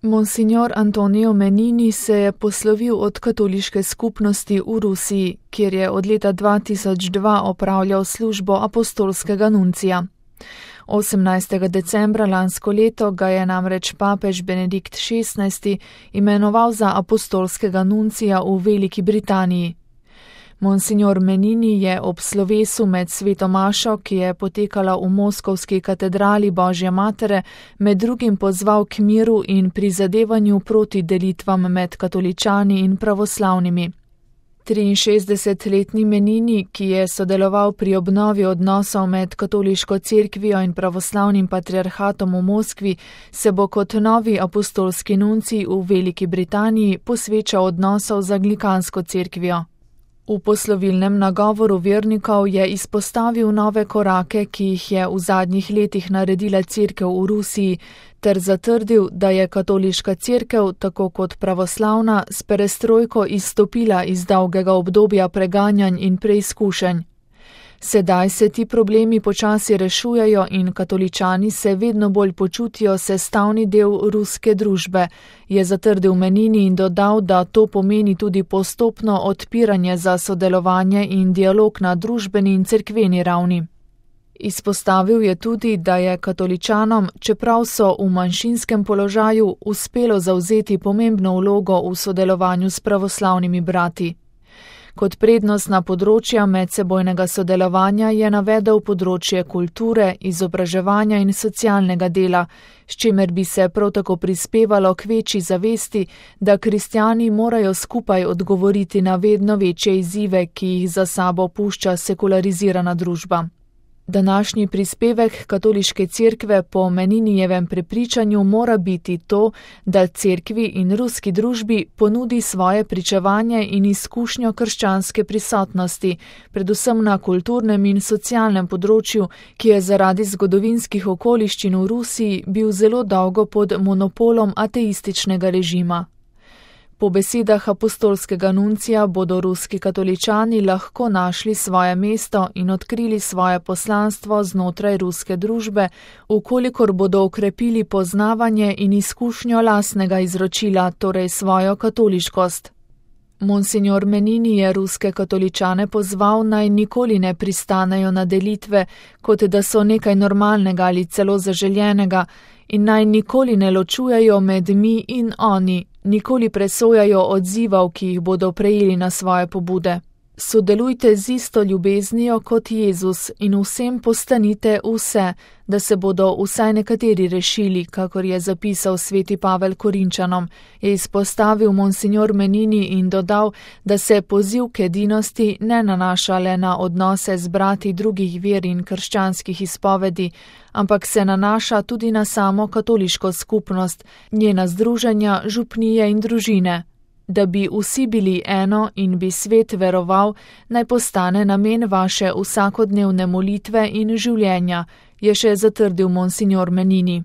Monsignor Antonio Menini se je poslovil od katoliške skupnosti v Rusiji, kjer je od leta 2002 opravljal službo apostolskega nuncija. 18. decembra lansko leto ga je namreč papež Benedikt XVI imenoval za apostolskega nuncija v Veliki Britaniji. Monsignor Menini je ob slovesu med sveto mašo, ki je potekala v moskovski katedrali Božje matere, med drugim pozval k miru in prizadevanju proti delitvam med katoličani in pravoslavnimi. 63-letni Menini, ki je sodeloval pri obnovi odnosov med katoliško cerkvijo in pravoslavnim patriarhatom v Moskvi, se bo kot novi apostolski nuncij v Veliki Britaniji posvečal odnosov z anglikansko cerkvijo. V poslovilnem nagovoru vernikov je izpostavil nove korake, ki jih je v zadnjih letih naredila cerkev v Rusiji, ter zatrdil, da je katoliška cerkev, tako kot pravoslavna, s perestrojko izstopila iz dolgega obdobja preganjanj in preizkušenj. Sedaj se ti problemi počasi rešujejo in katoličani se vedno bolj počutijo sestavni del ruske družbe, je zatrdil Menini in dodal, da to pomeni tudi postopno odpiranje za sodelovanje in dialog na družbeni in cerkveni ravni. Izpostavil je tudi, da je katoličanom, čeprav so v manjšinskem položaju, uspelo zavzeti pomembno vlogo v sodelovanju s pravoslavnimi brati. Kot prednostna področja medsebojnega sodelovanja je navedel področje kulture, izobraževanja in socialnega dela, s čimer bi se prav tako prispevalo k večji zavesti, da kristjani morajo skupaj odgovoriti na vedno večje izzive, ki jih za sabo pušča sekularizirana družba. Današnji prispevek katoliške cerkve po Meninijevem prepričanju mora biti to, da cerkvi in ruski družbi ponudi svoje pričevanje in izkušnjo krščanske prisotnosti, predvsem na kulturnem in socialnem področju, ki je zaradi zgodovinskih okoliščin v Rusiji bil zelo dolgo pod monopolom ateističnega režima. Po besedah apostolskega nuncija bodo ruski katoličani lahko našli svoje mesto in odkrili svoje poslanstvo znotraj ruske družbe, vkolikor bodo okrepili poznavanje in izkušnjo lastnega izročila, torej svojo katoliškost. Monsignor Menini je ruske katoličane pozval, naj nikoli ne pristanejo na delitve, kot da so nekaj normalnega ali celo zaželjenega, in naj nikoli ne ločujejo med mi in oni, nikoli presojajo odzivov, ki jih bodo prejeli na svoje pobude. Sodelujte z isto ljubeznijo kot Jezus in vsem postanite vse, da se bodo vsaj nekateri rešili, kakor je zapisal sveti Pavel Korinčanom, je izpostavil monsignor Menini in dodal, da se poziv k edinosti ne nanaša le na odnose z brati drugih ver in krščanskih izpovedi, ampak se nanaša tudi na samo katoliško skupnost, njena združenja, župnije in družine. Da bi vsi bili eno in bi svet veroval, naj postane namen vaše vsakodnevne molitve in življenja, je še zatrdil monsignor Menini.